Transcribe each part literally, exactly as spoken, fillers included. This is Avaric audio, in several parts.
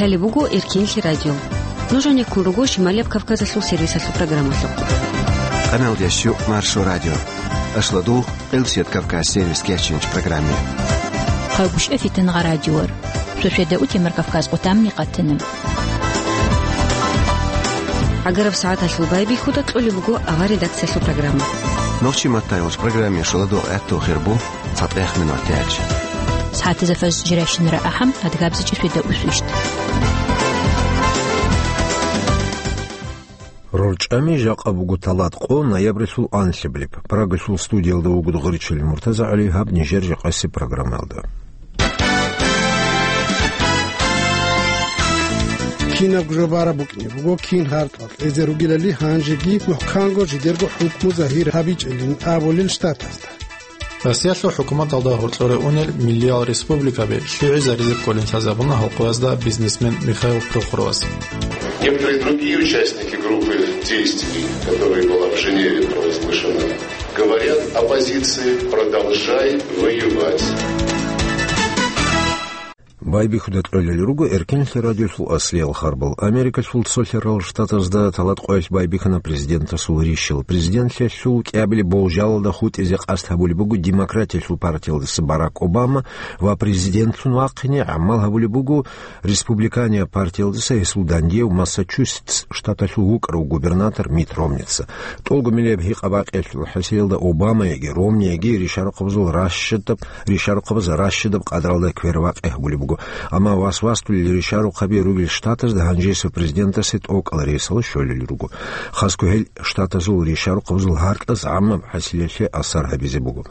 Лъалеб буго Эркенлъи радио. Нуж гьанеккун руго Шималияб Кавказалъул сервисалъул программалъухъ. Къамел дящу Маршо радио. Ашладу Къилсият Кавказ сервис кечинч программе. Хъагушев Фитангъа радиор. Сосиеда утемар Кавказ къутамни къатана. Агараб сагӀаталъул байбихьуда кьолеб буго авар редакциялъул программа. Нохчи маттайолч программе шоладу гӀатту хирбу. ЦатӀех минут тяч. СагӀатазда фаз жирайщинара ахӀам, адгабзичӀи светда усвищт. РорчӀами жакъа буго талат къо ноябрилъул анлъабилеб. Прагалъул студиялда вуго Гъурчил МуртазагӀали гьаб нижер жакъасеб программаялда. Кинабго жо бараб букӀине буго, кин гьаркьал кьезе ругелали гьанжеги мухӀканго жидерго хӀукму загьир гьабичӀилин абулел штатазда. Россиялъул хӀукуматалда гьоркьоре унел миллиял республикаби лъугӀизаризе кколин лъазабуна гьалкъуязда бизнесмен Михаил Прохоровас. Некоторые другие участники группы действий, которая была в Женеве провозглашена, говорят оппозиции: «Продолжай воевать». Байбихьуда кьолел руго Эркенлъи радиолъул аслиял харбал. Америкалъул цолъарал штатазда талат къоялъ байбихьана президентасул рищал. Президентлъиялъул кӀиабилеб болжалалда хутӀизе къасд гьабулеб буго Демократиялъул партиялдаса Барак Обама ва президентлъун вахъине гӀамал гьабулеб буго Республиканияб партиялдаса гьесул дандияв Массачусетс штаталъул вукӀарав губернатор Митт Ромница. ТӀолго миллияб гьикъа-бакъиялъул хӀасилалда Обамаяги Ромнияги ришарухъабазул ращадаб, ришарухъабаз ращадаб къадралда квербакъи гьабулеб буго. Амма вас-васдулел ришарухъаби ругел штатазда гьанжесев президентасе тӀокӀал рейсалда щолел руго. Хасго гьел штатазул ришарухъабазул гьаркьаз гӀаммаб хӀасилалъе асар гьабизе буго.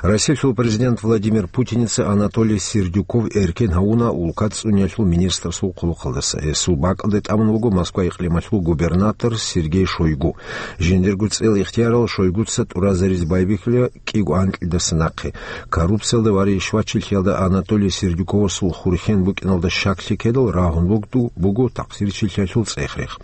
Россиялъул президент Владимир Путиница Анатолий Сердюков эркен гьавуна улкат цӀуниялъул министрасул хъулухъалдаса. Гьесул бакӀалде тӀамун вуго Москва икълималъул губернатор Сергей Шойгу. Жиндирго цӀел ихтиярал Шойгуца тӀуразаризе байбихьула кӀиго анкьидаса нахъе. Коррупциялда ва ришвачилъиялда Анатолий Сердюковасул хурхен букӀиналда щаклъи ккедал рагьун бугду-, буго такъсирчилъиялъул цӀех-рех.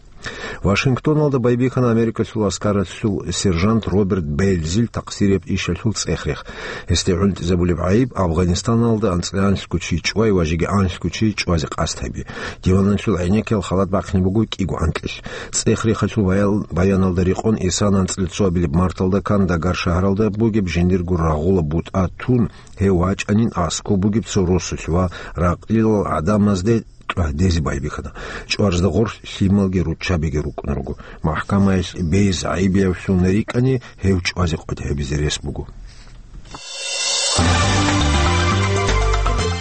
Вашингтоналда байбихьана Америкалъул аскаралъул сержант Роберт Бельзил такъсирияб ишалъул цӀех-рех. Гьесде гӀунтӀизабулеб гӀайиб Афганистаналда анцӀила анлъго чи чӀвай ва жеги анлъго чи чӀвазе къасд гьаби. Диваналъул гӀенеккиял халат бахъине буго кӀиго анкьилъ. ЦӀех-рехалъул баял-, баяналда рекъон, исана анцӀила цоабилеб марталда Кандагар шагьаралда бугеб жиндирго рагъула бутӀа тун, гьев вачӀанин аскӀоб бугеб цо росулъ ва ракълилал гӀадамазде тӀагьдезе байбихьана. ЧӀварзда гъорлъ лъималги руччабиги рукӀун руго. МахӀкамаялъ бейз гӀайибиявлъун рикӀкӀани, гьев чӀвазе къватӀиб гьабизе рес буго.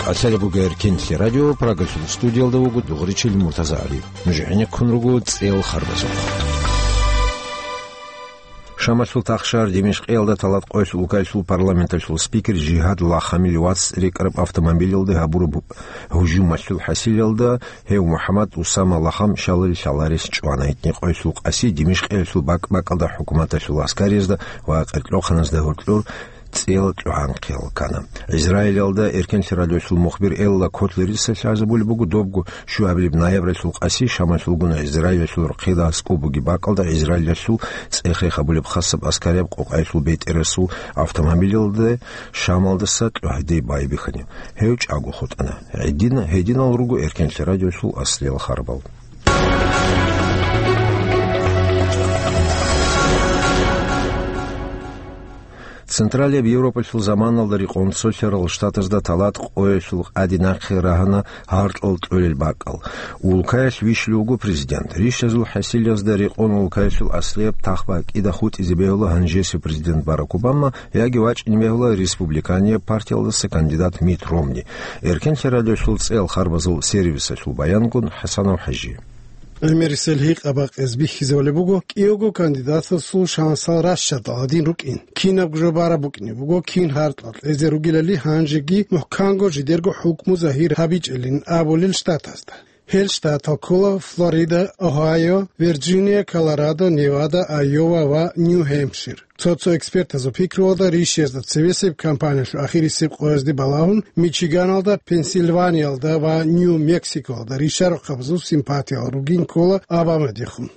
КӀалъалеб буго Эркенлъи радио, Прагалъул студиялда вуго Дугъричил МуртазагӀали. Нуж гӀенеккун руго цӀел харбазухъ. Шамалъул тахшар Димишкъиялда талат къоялъ улкаялъул парламенталъул спикер Жигьад Лахамил вац рекӀараб автомобилялда гьабураб гьужумалъул хӀасилалда гьев МухӀаммад Усама Лахам шалил лъаларес чӀвана. Гьитни къоялъул къаси Димишкъиялъул бакӀ-бакӀалда хӀукуматалъул аскариязда ва къеркьлъухъаназда гьоркьор цӀел чӀванхъиял ккана. Израилалда Эркенлъи радиолъул мухбир Элла Котлерица лъазабулеб буго добго щуабилеб ноябралъул къаси Шамалъулгун Израилалъул рохъида аскӀоб бугеб бакӀалда Израилалъул цӀех-рех гьабулеб хасаб аскарияб къокъаялъул бетӀерасул автомобилялда Шамалдаса тӀагьде байбихьани. Гьев чӀаго хутӀана. Гьедина-, гьединал руго Эркенлъи радиолъул аслиял харбал. Централияб Европалъул заманалда рекъон цолъарал штатазда талат къоялъул къаде нахъе рагьана гьаркьал кьолел бакӀал. Улкаялъ вищулев вуго президент. Рищазул хӀасилазда рекъон улкаялъул аслияб тахбакӀида хутӀизе бегьула гьанжесев президент Барак Обама, яги вачӀине бегьула республиканияб партиялдаса кандидат Митт Ромни. Эркенлъи радиолъул цӀел харбазул сервисалъул баянгун ХӀасанов ХӀажи. ГӀемерисел гьикъа-бакъиз бихьизабулеб буго кӀиявго кандидатасул шансал ращадал гьадин рукӀин. Кинабго жо бараб букӀине буго, кин гьаркьал кьезе ругелали гьанжеги мухӀканго жидерго хӀукму загьир гьабичӀилин абулел штатазда. Гьел штатал ккола Флорида, Огайо, Вирджиния, Колорадо, Невада, Айова ва Нью-Гьемпшир. Цо-цо экспертазул пикруялда, рищезда цевесеб кампаниялъул ахирисеб къоязде балагьун, Мичиганалда, Пенсильваниялда ва Нью-Мексикоялда ришарухъабазул симпатиял ругин ккола Обамадехун.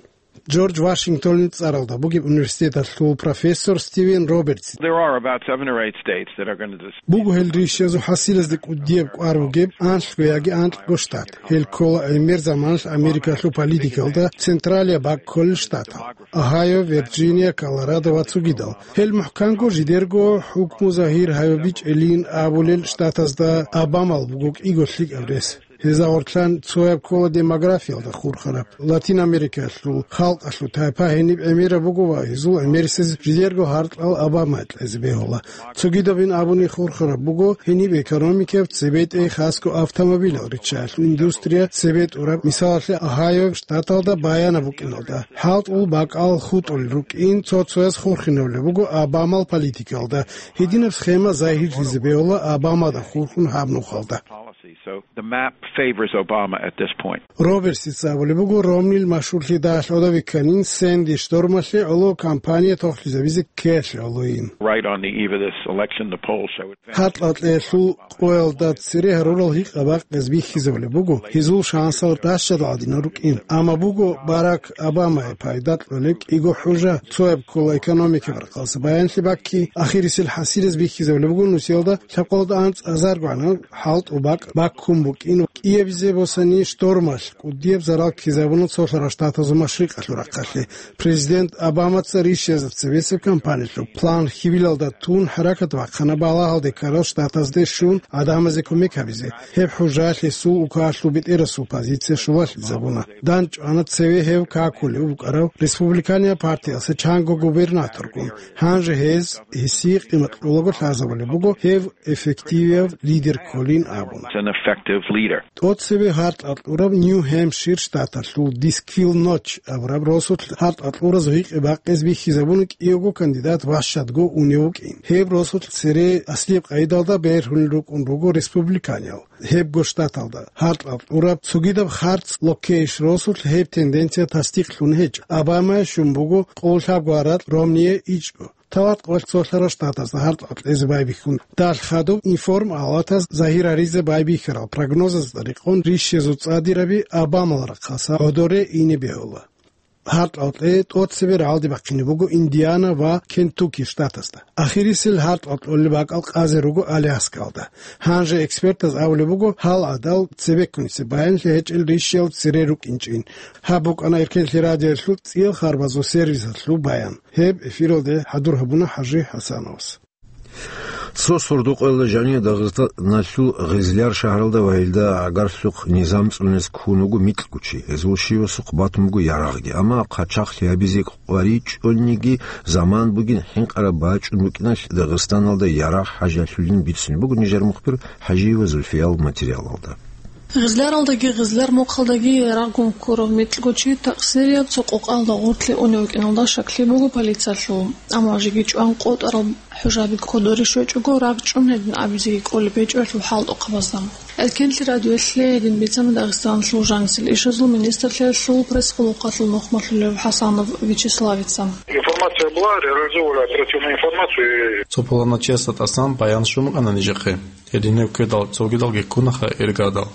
Джордж Вашингтонил цӀаралда бугеб университеталъул профессор Стивен Робертс. There are about seven or eight states that are gonna dis- Буго гьел ришазул хӀасилазде кӀудияб кӀвар бугеб, анлъго яги анкьго штат. Гьел ккола гӀемер заманалъ Америкалъул политикалда централияб бакӀ кколел штатал: Огайо, Вирджиния, Колорадо ва цогидал. Гьел мухӀканго жидерго хӀукму загьир гьабичӀелин абулел штатазда Обамал буго кӀиго лъикӀаб рес. Гьезда гъорлъан цояб ккола демографиялда хурхараб, Латин Америкалъул халкъалъул тайпа гьениб гӀемераб буго ва гьезул гӀемерисез жидерго гьаркьал Обамае кьезе бегьула. Цогидабин абуни хурхараб буго гьениб экономикаялъ, цебетӀей, хасго автомобилал риччаялъул индустрия цебетӀураб, мисалалъе, Огайо штаталда баянаб букӀиналда. ХӀалтӀул бакӀал хутӀулел рукӀин цо-цояс хурхинабулеб буго Обамал политикалда. Гьединаб схема загьирлъизе бегьула Обамада хурхун гьаб нухалда. Policy. So the map favors Obama at this point. Робертсица абулеб буго, Ромнил машгьурлъи дагьалъ гӀодов вихьанин, Сэнди штормалъе гӀоло кампания тохлъизабизе ккеялъе гӀолойин. Right on the eve of this election, the polls show it. ХӀалтӀа-кьеялъул къоялда цере гьарурал гьикъа бакъизе бихьизабулеб буго, гьезул шансал ращадал гӀадинал рукӀин. Амма буго Барак Обамае пайда кьолеб кӀиго хӀужа, цояб ккола экономикаб рахъалъа баянлъи бакки, ахирисел хӀасилаз бихьизабулеб буго нусиялда лъабкъоялда анцӀазарго гӀанав хӀалтӀул бакӀ баккун букӀин, кӀиабизе босани штормалъ кӀудияб зарал ккезабуна цолъарал штатазул машрикъалъул рахъалъе. Президент Обамаца ришязда цебесеб кампаниялъул план хьибилалда тун хӀаракат бахъана балагьалде ккарал штатазде щун гӀадамазе кумек гьабизе. Гьеб хӀужалъ гьесул укалъул бетӀерасул позиция щулалъизабуна. ДандчӀвана цеве гьев какулев вукӀарав республиканияб партиялъе чанго губернаторгун. Гьанже гьез гьесие къимат кьолаго лъазабулеб буго гьев эффективияб лидер кколин абун. An effective leader. ТӀоцебе гьартӀа кьураб Нью-Гьемпшир штаталъул Дисквил Ноч абураб росулъ гьартӀа кьураз гъикъи бакъизе бихьизабуна кӀиявго кандидат ващадго унев вукӀин. Гьеб росулъ цере аслияб къайдалда бергьунел рукӀун руго республиканиял. Гьебго штаталда гьартӀа кьураб цогидаб харц локейш росулъ гьеб тенденция тасдикълъун гьечӀо. Обамае щун буго къоллъабго гьаракь, Ромние ичӀго. Талат къоялъ цолъарал штатазда гьартӀа кьезе байбихьун. Далъ хадуб информалатаз загьир гьаризе байбихьарал прогнозазда рекъон ришазул цӀадираби Обамал рахъалъа гӀодоре ине бегьула. ГьартӀа кье тӀоцебе рагӀалде бахъине буго Индиана ва Кентукки штатазда. Ахирисел гьартӀа кьолеб бакӀал къазе руго Аляскалда. Гьанже экспертаз абулеб буго, гьал гӀадал цебеккунесе баянлъи гьечӀел ришиял цере рукӀинчӀин. Гьаб букӀана Эркенлъи радиоялъул цӀиял харбазул сервисалъул баян. Гьеб эфиралде хӀадур гьабуна ХӀажи ХӀасановас. Цо сордо-къоялда жанив Дагъистаналъул Гъизлияр шагьаралда ва гьелда гӀагарлъухъ низам цӀунез ккун вуго микьго чи. Гьезул щивасухъ батун буго ярагъги. Амма хъачагълъи гьабизе къваригӀунниги заман бугин, хӀинкъараб бачӀун букӀиналъ Дагъистаналда ярагъ хӀажалъулин бицунеб буго нижер мухбир ХӀажиева Зульфиял материалалда. Гъизляралдаги Гъизляр мухъалдаги ярагъгун ккурав микьго чи такъсирияб цо къокъалда гъоркье унев вукӀиналда щаклъи буго полициялъул, амма жеги чӀван къотӀарал хӀужаби кодоре щвечӀого, рагъ чӀун гьедин абизеги кӀолеб гьечӀо гьелъул хӀалтӀухъабазда. Эркенлъи радиоялъе гьедин бицана Дагъистаналъул жанисел ишазул министрлъиялъул пресс-къулухъалъул нухмалъулев ХӀасанов Вячеславица. Информация была, реализовывали оперативную информацию и Цо пуланав чиясда тӀасан баян щун букӀана нижехъе. Гьединаб ккедал цогидалги ккунаха иргадал.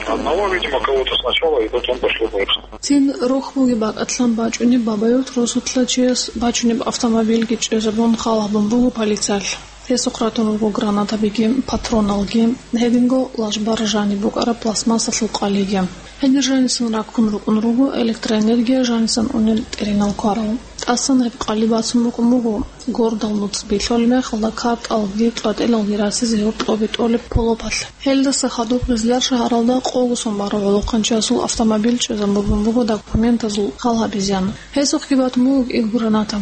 Одного, видимо, кого-то сначала, и потом пошло дальше. Цин рохь бугеб бакӀалъан бачӀунеб Бабаюрт росулъа чияс бачунеб автомобильги чӀезабун хал гьабун буго полициялъ. Гьесухъ ратун руго гранатабиги, патроналги, гьединго лажбар жаниб букӀараб пластмассалъул къалиги. Гьенир жанисан раккун рукӀун руго электроэнергия жанисан унел тӀеринал кварал. ТӀасан гьеб къали бацун букӀун буго гордал нуц билъолеб мехалда картӀалги кьватӀилалги расизе гьоркьобе тӀолеб полопалъ. Гьелдаса хадуб Гъизлияр шагьаралда къого сон барав гӀолохъанчиясул автомобиль чӀезабун буго документазул хал гьабизеян. Гьесухъги батун буго кӀиго граната.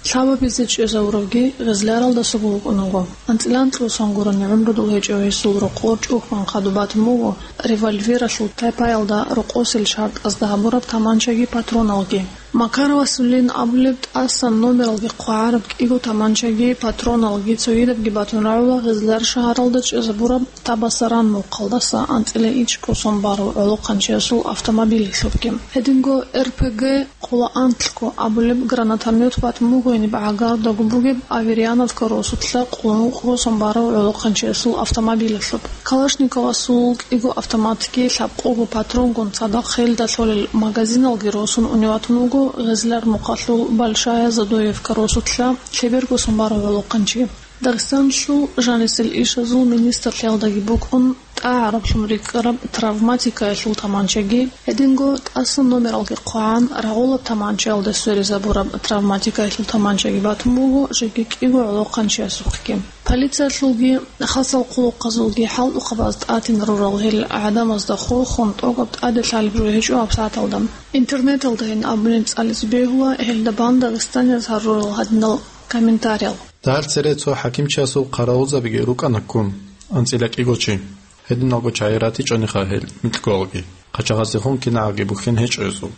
Лъабабизе чӀезавуравги Гъизлияралдасаго вукӀун вуго. АнцӀила анкьго сон гурони гӀумру дов гьечӀев гьесул рокъор чӀухӀун хадуб батун буго револьвералъул тайпаялда рокъосел шартӀазда гьабураб таманчаги патроналги. Макар Васулин абулеб тӀасан номералги хъвагӀараб кӀиго таманчаги патроналги цогидабги батун рагӀула Гъизлияр шагьаралда чӀезабураб Табасаран мухъалдаса анцӀила ичӀго сон барав гӀолохъанчиясул автомобилалъубги. Гьединго РПГ Хъула анкьго абулеб гранатомет батун буго гьениб гӀагардаго бугеб Аверьяновка росулъа къуллукъго сон барав гӀолохъанчиясул автомобилалъуб. Калашниковасул кӀиго автоматги лъабкъого патронгун цадахъ гьелда лъолел магазиналги росун унев ватун вуго Гъезлар мухъалъул Большая Задоевка росулъа лъеберго сон барав гӀолохъанчи. Дагъистаналъул жанисел ишазул министрлъиялдаги букӀун тӀагӀараблъун рикӀкӀараб травматикаялъул таманчаги, гьединго тӀасан номералги хъвагӀан рагъулаб таманчаялда сверизабураб травматикаялъул таманчаги батун буго жеги кӀиго гӀолохъанчиясухъги. Полициялъулги хасал хъулухъазулги хӀалтӀухъабаз тӀатин рурал гьел гӀадамазда хурхун тӀогаб тӀаде лъалеб жо гьечӀо гьабсагӀаталда. Интернеталдайин абунин цӀализе бегьула гьелда бан дагъистанияз гьарурал гьадинал комментариял. Дагьал цере цо хӀакимчиясул хъаравулзабиги рукӀана ккун, анцӀила кӀиго чи. Гьединалго чагӀи ратичӀониха гьел микьгоялги, хъачагъаздехун кинагӀаги бухьен гьечӀо гьезул.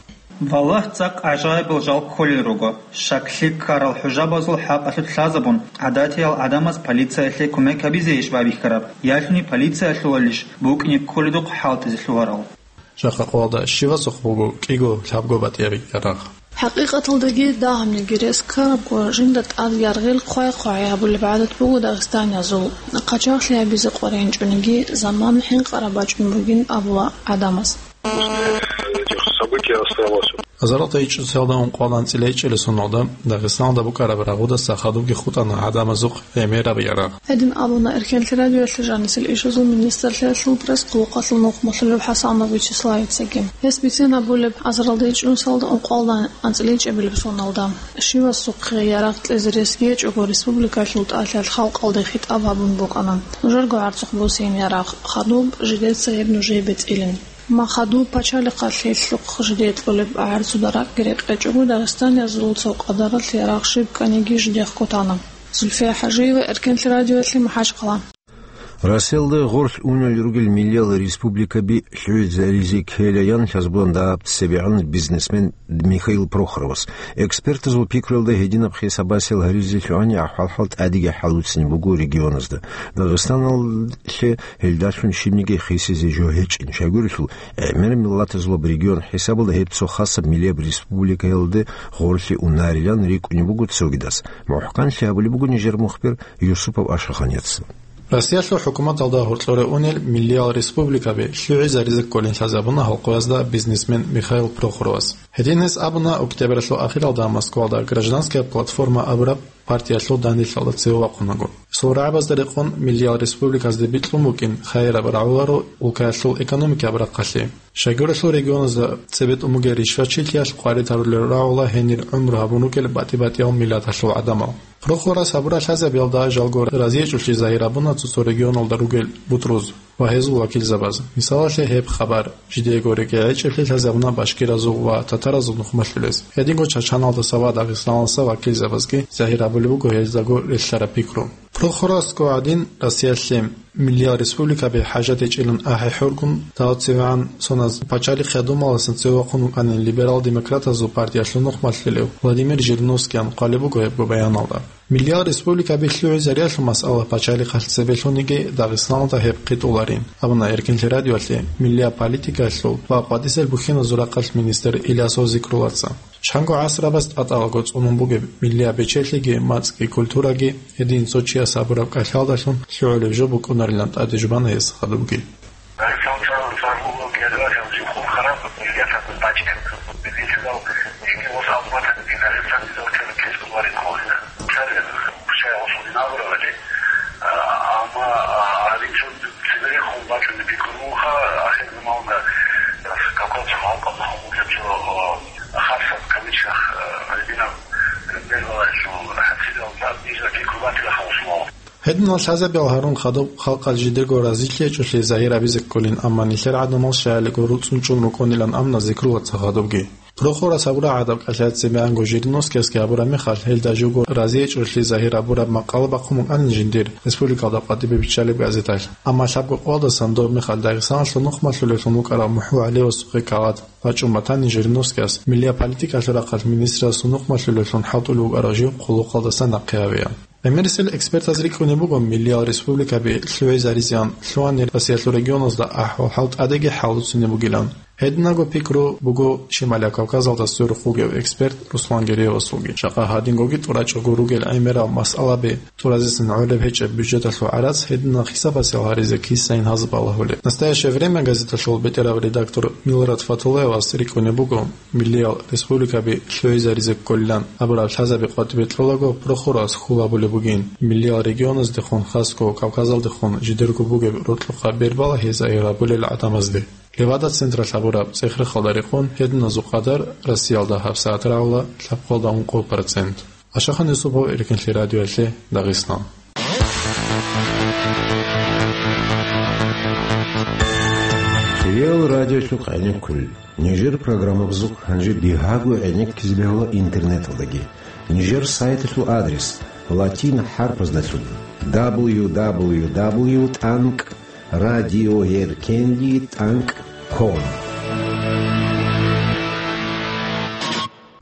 Валлагь, цӀакъ гӀажаибал жал кколел руго. Щаклъи ккарал хӀужабазул хӀакъалъулъ лъазабун, гӀадатиял гӀадамаз полициялъе кумек гьабизейищ байбихьараб, ялъуни полиция лъулалищ букӀине кколедухъ хӀалтӀизе лъугьарал? Жакъа къоялда щивасухъ буго кӀиго лъабго батӀияб ярагъ? ХӀакъикъаталдаги дагьабниги рес ккарабго, жинда тӀад яргъил хъвай-хъвагӀи гьабулеб гӀадат буго дагъистаниязул. Хъачагълъи гьабизе къваригӀинчӀониги заман хӀинкъараб бачӀун бугин абула гӀадамаз. После этих событий осталось. Азаралда ичӀусиялда ункъоялда анцӀила ичӀила соналда Дагъистаналда букӀараб рагъудаса хадубги хутӀана гӀадамазухъ гӀемераб ярагъ. Гьедин абуна Эркенлъи радиоялъе жанисел ишазул министрлъиялъул пресс-хъулухъалъул нухмалъулев ХӀасанов Вячеславицаги. Гьес бицен абулеб, азаралда ичӀнусалда ункъоялда анцӀила ичӀабилеб соналда. Щивасухъе ярагъ кьезе рес гьечӀого республикалъул тӀалъал халкъалде хитӀаб гьабун букӀана: «Нужерго гӀарцухъ босейин ярагъ, хадуб жидеца гьеб нужее бецӀилин». Ма хадуб пачалихъалъ гьелъухъ жидее кьолеб гӀарцуда ракӀги рекъечӀого, дагъистаниязул цо къадаралъ ярагъ щиб кканиги жидехъго тана. Зульфия ХӀажиева, Эркенлъи радиоялъе, МахӀачхъала. Россиялда гъорлъ унел ругел миллиял республикаби лъугӀизаризе ккелаян лъазабулан дагьаб цебегӀан бизнесмен Михаил Прохоровас. Экспертазул пикруялда, гьединаб хисабасел гьаризе лъугьани ахӀвал-хӀал тӀадеги хӀалуцин буго регионазда. Дагъистаналъе гьелдалъун щибниги хисизе жо гьечӀин. Щайгурелъул, гӀемер миллатазулаб регион хӀисабалда гьеб цо хасаб миллияб республикаялде гъорлъе унарилан рикӀкӀунеб буго цогидас. МухӀканлъи гьабулеб буго нижер мухбир Юсупов Ашаханец. Россиялъул хӀукуматалда гьоркьоре унел миллиял республикаби лъугӀизаризе кколин лъазабуна гьалкъуязда бизнесмен Михаил Прохоровас. Гьедин гьес абуна, октябралъул ахиралда Москвалда «Гражданская платформа» абураб партиялъул данделъалда цеве вахъунаго. Гьесул рагӀабазда рекъон миллиял республиказде бикьун букӀин хайираб рагӀуларо улкаялъул экономикияб рахъалъи. Щайгурелъул регионазда цебетӀун бугеб ришвачилъиялъ къваритарулел рагӀула гьенир гӀумру гьабун ругел батӀи-батӀиял миллаталъул гӀадамал. Прохоровас гьабураб лъазабиялда жалго разиячӀолъи загьир гьабуна цо-цо регионалда ругел бутӀруз ва гьезул вакилзабаз. Мисалалъе, гьеб хабар жидеего рекӀелъ гьечӀеблъи лъазабуна башкиразул ва татаразул нухмалъулез. Гьединго Чачаналдаса ва Дагъистаналдаса вакилзабазги загьир гьабулеб буго гьездаго релълъараб пикру. Прохоровасго гӀадин, Россиялъе миллиял республикаби хӀажат гьечӀилан ахӀи-хӀургун, дагьав цевегӀан соназ пачалихъ Думаласан цеве вахъун вукӀанин либерал-демократазул партиялъул нухмалъулев Владимир Жириновскиян хъвалеб буго гьебго баяналда. Миллиял республикаби лъугӀизариялъул масъала пачалихъалъ цебелъуниги Дагъистаналда гьеб хъитӀуларин, абуна Эркенлъи радиоялъе миллияб политикаялъул ва къватӀисел бухьиназул рахъалъ министр Илясов Зикруллаца. Чанго гӀасрабаз тӀатӀалаго цӀунун бугеб миллияб бечелъиги, мацӀги, культураги гьедин цо чияс гьабураб кӀалъалдалъун лъугӀулеб жо букӀунарилан тӀаде жубана гьес хадубги. Амма гьадинчӀун цеберехун бачӀунеб пикру буго, ахир заманалда Кавказалъул халкъазда хъван бугеб цо, а, хасаб, кавычках, а, гьадинаб бергьалъул хӀасилалда нижер пикру батила хасулал. Гьединал лъазабиял гьарун хадуб халкъалъ жидерго разилъи гьечӀолъи загьир гьабизе кколин, амма нилъер гӀадамал щаялиго руцӀцӀун чӀун рукӀунилан абуна Зикруллаца хадубги. Прохоровас гьабураб гӀадаб кӀалъай цебегӀанго Жириновскиясги гьабураб мехалъ, гьелда живго разиячӀолъи загьир гьабураб макъала бахъун букӀанин жиндир республикалда къватӀибе биччалеб газеталъ. Амма лъабго къоялдасан доб мехалъ Дагъистаналъул нухмалъулевлъун вукӀарав МухӀу ГӀалиевасухъе калади бачӀун батани, Жириновскияс миллияб политикалъул рахъалъ министрасул нухмалъулевлъун хӀалтӀулев вукӀарав жив хъулухъалдасан нахъе гьавеян. ГӀемерисел экспертаз рикӀкӀунеб буго миллиял республикаби лъугӀизаризеян лъугьани Россиялъул регионазда ахӀвал-хӀал тӀадеги хӀалуцунеб бугилан. Гьединаго пикру буго Шималияб Кавказалда сверухъ вугев эксперт Руслан Гереевасулги. Жакъа гьадингоги тӀурачӀого ругел гӀемерал масъалаби тӀуразесин гӀолеб гьечӀеб бюджеталъул гӀарац гьединал хисабасел гьаризе кисайин гьазаб балагьулеб. «Настоящее время» газеталъул бетӀерав редактор Милрат Фатулаевас рикӀкӀунеб буго, миллиял республикаби лъугӀизаризе кколилан абураб лъазаби къватӀибе кьолаго прокурорас хьул гьабулеб бугин, миллиял регионаздехун, хасго Кавказалдехун жидерго бугеб рокьухъа бер балагьизе гьабулел гӀадамазде. Левада-централъ гьабураб цӀех-рехалда рекъон гьединазул къадар Россиялда гьабсагӀат рагӀула лъабкъоялда ункъо процент. Ашахан Юсупов, Эркенлъи радиоялъе, Дагъистан. Хириял радиолъухъ гӀенеккулел. Нижер программабазухъ гьанже бигьаго гӀенеккизе бегьула интернеталдаги. Нижер сайталъул адрес латин хӀарпаздалъун: дабл ю дабл ю дабл ю тӀанкӀ радиоеркенлъи тӀанкӀ ком.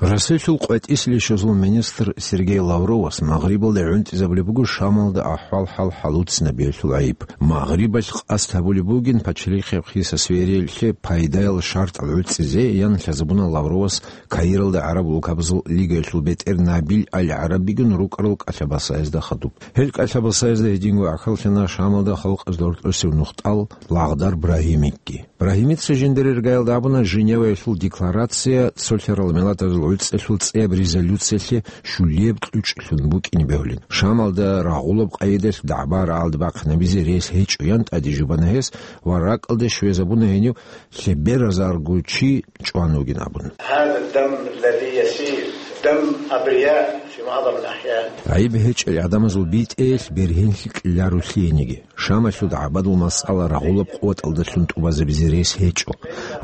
Россиялъул къватӀиса лъугьинчӀезул министр Сергей Лавровас Магърибалде гӀунтӀизабулеб буго Шамалда ахӀвал-хӀал хӀалуцинабиялъул гӀайиб. Магърибалъ къасд гьабулеб бугин пачалихъеб хисас вериялъе пайдаял шартӀал гӀуцӀизе, ян лъазабуна Лавровас Каиралда ГӀараб улкабазул лигаялъул бетӀер Набил Аль-ГӀарабигун рукӀарал кӀалъабасаязда хадуб. Гьел кӀалъабасаязда гьединго гӀахьаллъана Шамалда халкъазда гьоркьосев нухтӀал Лагъдар Брагьимикги. Брагьимица жиндирер гайалда абуна Женеваялъул декларация цолъарал миллатазул гӀуцӀиялъул цӀияб резолюциялъе щулияб кьучӀлъун букӀине бегьулин. Шамалда рагъулаб къайидалъ дагӀба рагӀалде бахъинабизе рес гьечӀо, ян тӀаде жубана гьес ва ракӀалде щвезабуна гьенив лъеберазарго чи чӀван вугин абун. هذا الدم الذي يسيل دم أبرياء في معظم الأحيان. ГӀайиб гьечӀел гӀадамазул битӀеялъ бергьенлъи кьеларулъи гьениги. Шамалъул дагӀбадул масъала рагъулаб къуваталдалъун тӀубазабизе рес гьечӀо.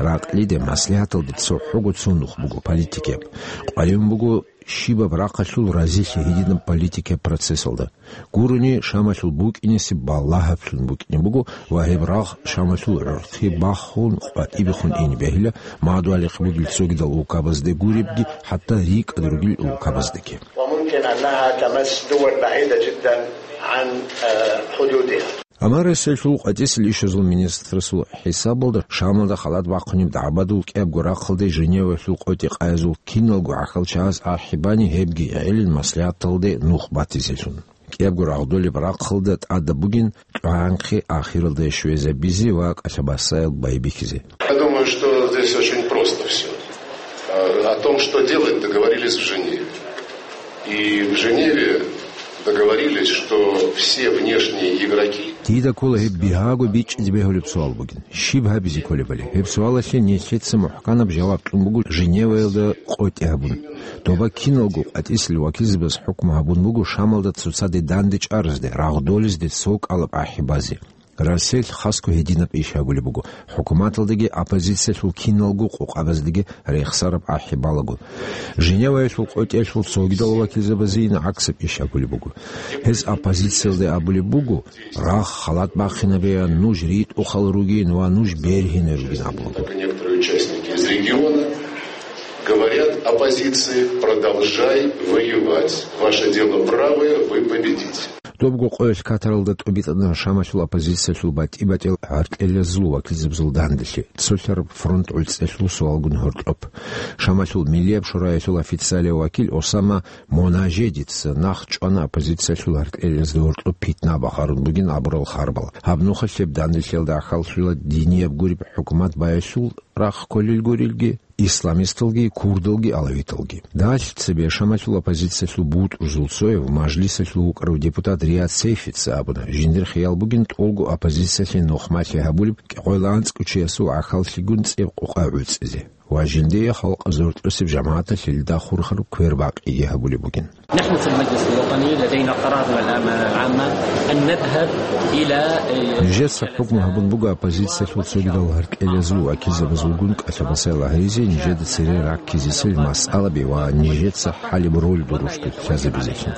Ракълиде, маслигьаталде цохӀого цо нух буго политикияб. КъваригӀун буго щибаб рахъалъул разилъи гьединаб политикияб процессалда. Гурони, Шамалъул букӀинесеб балагьаблъун букӀине буго ва гьеб рагъ Шамалъул гӀурхъи бахун, къватӀибехун ине бегьила, мадугьалихъ бугел цогидал улкабазде гуребги, хӀатта рикӀкӀад ругел улкабаздеги. وممكن أنها تمس دول بعيدة جدا عن، آه، حدودها. Амма Россиялъул къватӀиса лъугьинчӀезул министрасул хӀисабалда, Шамалда халат бахъунеб дагӀбадул кӀиябго рахъалде Женеваялъул къотӀи-къаязул киналго гӀахьалчагӀаз ахӀи бани, гьебги гӀелин маслигьаталде нух батизелъун. КӀиябго рагъдолеб рахъалда тӀадаб бугин тӀагӀанхъе ахиралде щвезабизе ва кӀалъабасаял байбихьизе. Я думаю, что здесь очень просто всё. Э, о том, что делать, договорились в Женеве. И в Женеве договорились, что все внешние игроки... Дида ккола гьеб бигьаго бичӀчӀизе бегьулеб суал бугин. Щиб гьабизе кколебали? Гьеб суалалъе нилъеца мухӀканаб жаваб кьун буго Женеваялда къотӀи гьабун. Доба киналго къватӀисел вакилзабаз хӀукму гьабун буго Шамалда цоцаде данде чӀаразде, рагъдолезде цокӀалаб ахӀи базе. Россиялъ хасго гьединаб иш гьабулеб буго, хӀукуматалдаги оппозициялъул киналго къокъабаздеги рехсараб ахӀи балагун. Женеваялъул къотӀиялъул цогидал вакилзабазейин гӀаксаб иш гьабулеб буго. Гьез оппозициялде абулеб буго, рагъ халат бахъинабеян, нуж ритӀухъал ругин ва нуж бергьинай ругин абулеб буго. Некоторые участники из региона говорят оппозиции: «Продолжай воевать. Ваше дело правое, вы победите». Добго къоялъ Катаралда тӀубитӀана Шамалъул оппозициялъул батӀи-батӀиял гӀаркьелазул вакилзабазул данделъи, цолъараб фронт гӀуцӀиялъул суалгун гьоркьоб. Шамалъул Миллияб шораялъул официалияв вакил Осама Монажедица нахъ чӀвана оппозициялъул гӀаркьелазда гьоркьоб питна бахъарун бугин абурал харбал. Гьаб нухалъ гьеб данделъиялда ахӀаллъула динияб гуреб хӀукумат баялъул рахъ кколел гурелги, исламисталги, курдалги, алавиталги. Дагьалъи цебе Шамалъул оппозициялъул бутӀрузул цояв, мажлисалъул вукӀарав депутат Риад Сейфица абуна, жиндир хиял бугин тӀолго оппозициялъе нухмалъи гьабулеб кӀикъоялда анцӀго чиясул гӀахьаллъигун цӀеб къокъа гӀуцӀизе ва жиндие халкъ зоркьосеб жамагӀаталъе лъида хурхараб квер бакъиги гьабулеб бугин. نحن في المجلس الوطني لدينا قرارنا العام-، العامة أن نذهب إلى، э، Нижеца хӀукму гьабун буго оппозициялъул цогидал гьаркьелазул вакилзабазулгун кӀалъабасай лагьаризе, нижеда цере раккизесел масъалаби ва нижеца хӀалеб роль дурусго лъазабизелъун.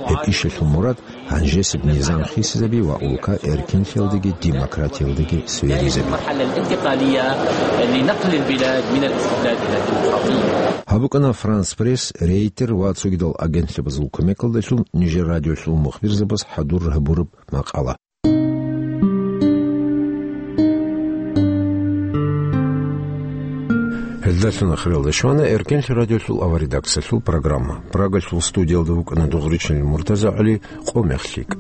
Гьеб ишалъул мурад гьанжесеб низам хисизаби ва улка эркинлъиялдаги демократиялдаги сверизаби. المرحلة الانتقالية لنقل البلاد من الاستبداد إلى الديمقراطية. Гьаб букӀана Франс Пресс, Рейтер ва цогидал агентлъабазул кумекалдалъун нижер радиолъул мухбирзабаз хӀадур гьабураб макъала. Гьелдалъун ахиралда щвана Эркенлъи радиолъул аваридакциялъул программа. Прагалъул студиялда вукӀана Дугъричин Муртаза ГӀали, къо-мех лъикӀ.